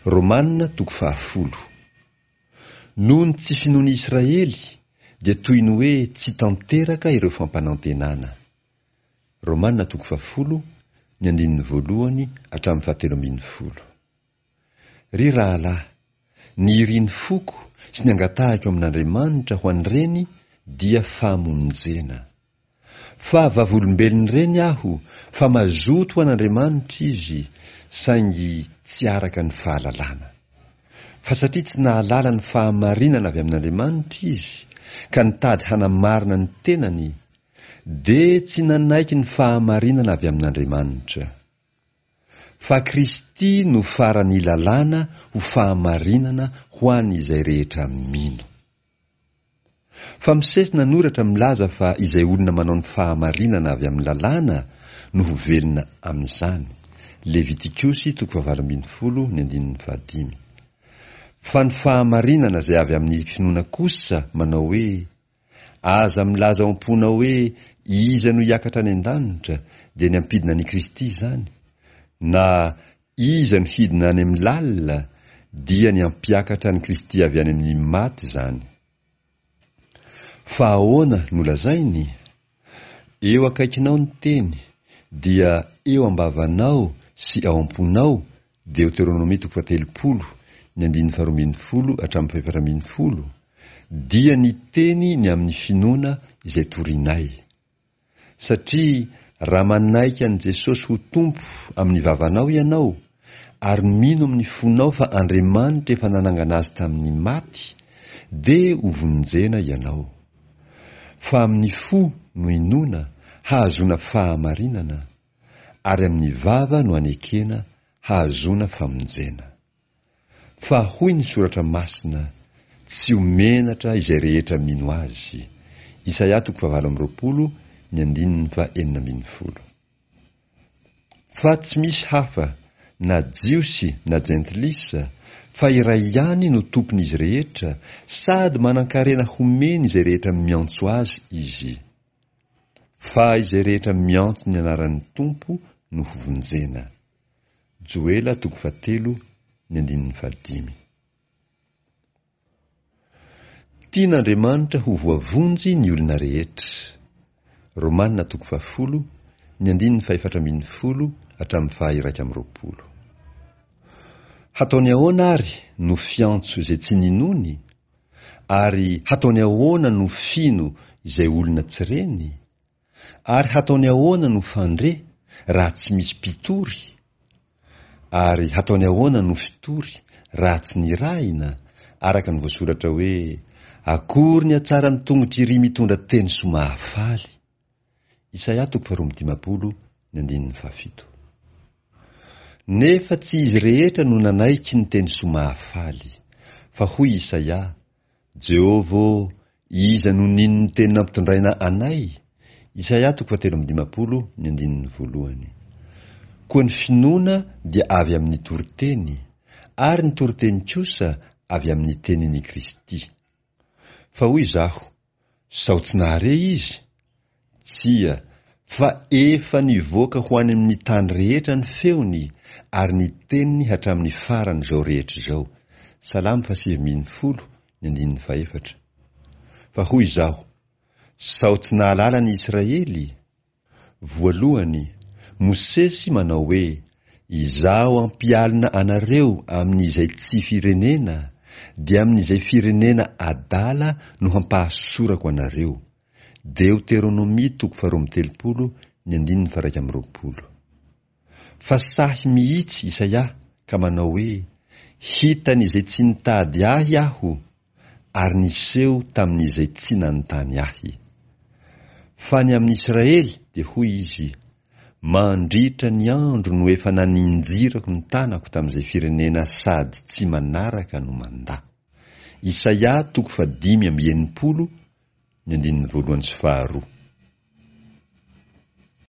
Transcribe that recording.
Romana toko fahafolo. Noho ny tsy finoan'i Israely dia toy ny hoe tsy tanteraka ireo fampanantenana. Romana toko fahafolo, ny andininy voalohany hatramin'ny fahatelo ambinifolo. Ry rahalahy, ny irin'ny foko sy ny angatahiko amin'Andriamanitra ho an'ireny dia famonjena. Fa vavolombelon'ireny aho fa mazoto ho an'Andriamanitra izy, saingy tsy araka ny fahalalana. Fa satria tsy nahalala ny fahamarinana avy amin'Andriamanitra izy, ka nitady hanamarina ny tenany, dia tsy nanaiky ny fahamarinana avy amin'Andriamanitra. Fa Kristy no faran'ny lalàna ho fahamarinana ho an'izay rehetra mino. Fa Mosesy nanoratra milaza fa izay olona manao ny fahamarinana avy amin'ny lalàna no ho velona amin'izany, Levitikosy toko fahavalo ambinifolo ny andininy fahadimy. Fa ny fahamarinana izay avy amin'ny finoana kosa manao hoe, Aza milaza ao am-ponao hoe iza no hiakatra any an-danitra, dia ny hampidina an'i Kristy izany, na iza no hidina any amin'ny lalina, dia ny hampiakatra an'i Kristy avy any amin'ny maty izany. Fa ahoana no lazainy? Eo akaikinao ny teny, dia eo am-bavanao sy ao am-ponao, Deoteronomia toko fahatelopolo, ny andininy faharoa ambinifolo hatramin'ny fahefatra ambinifolo, dia ny teny ny amin'ny finoana izay torinay. Satria raha manaiky an'i Jesosy ho Tompo amin'ny vavanao ianao, ary mino amin'ny fonao fa Andriamanitra efa nanangana Azy tamin'ny maty, dia ho vonjena ianao. Fa amin'ny fo no inoana hahazoana fahamarinana, ary amin'ny vava no anekena hahazoana famonjena. Fa hoy ny Soratra Masina, Tsy ho menatra izay rehetra mino Azy. Isaia toko fahavalo amby roapolo, ny andininy fahenina ambin'ny folo. Fa tsy misy hafa, na Jiosy na Jentilisa, fa iray ihany no Tompon'izy rehetra, sady manan-karena homeny izay rehetra miantso Azy Izy. Fa izay rehetra miantso ny anaran'ny Tompo no hovonjena. Joela toko fahatelo ny andininy fahadimy. Tian'Andriamanitra ho voavonjy ny olona rehetra. Romana toko fahafolo ny andininy fahefatra ambinifolo hatramin'ny faha-iraika amby roapolo. Hataony ahoana ary no fiantso izay tsy ninoany? Ary hataony ahoana no fino izay olona tsy reny? Ary hataony ahoana no fandre raha tsy misy mpitory? Ary hataony ahoana no fitory raha tsy nirahina, araka ny voasoratra hoe, Akory ny hatsaran'ny tongotr'iry mitondra teny soa mahafaly! Isaia toko faharoa amby dimampolo ny andininy fahafito. Nefa tsy izy rehetra no nanaiky ny teny soa mahafaly. Fa hoy Isaia, Jehovah ô, iza no nino ny teny nampitondraina anay? Isaia toko fahatelo amby dimampolo ny andininy voalohany. Koa ny finoana dia avy amin' ny toriteny, ary ny toriteny kosa avy amin' ny tenin' i Kristy. Fa hoy izaho, Sao tsy nahare izy? Tsia, fa efa nivoaka ho any amin' ny tany rehetra ny feony, ary ny teniny hatramin' ny faran' izao rehetra izao. Salamo fahasivy ambinifolo, ny andininy fahefatra. Fa hoy izaho, Sao tsy nahalala ny Israely? Voalohany, Mosesy manao hoe, Izaho hampialona anareo amin'izay tsy firenena, dia amin'izay firenena adala no hampahasorako anareo. Deoteronomia toko faharoa amby telopolo, ny andininy faha-iraika amby roapolo. Fa sahy mihitsy Isaia ka manao hoe, Hitan'izay tsy nitady ahy aho, ary niseho tamin'izay tsy nanontany ahy. Fa ny amin'Israely dia hoy izy, Mandritra ny andro no efa naninjirako ny tanako tamin'izay firenena sady tsy manaraka no mandà. Isaia toko fahadimy amby enimpolo, ny andininy voalohany sy faharoa.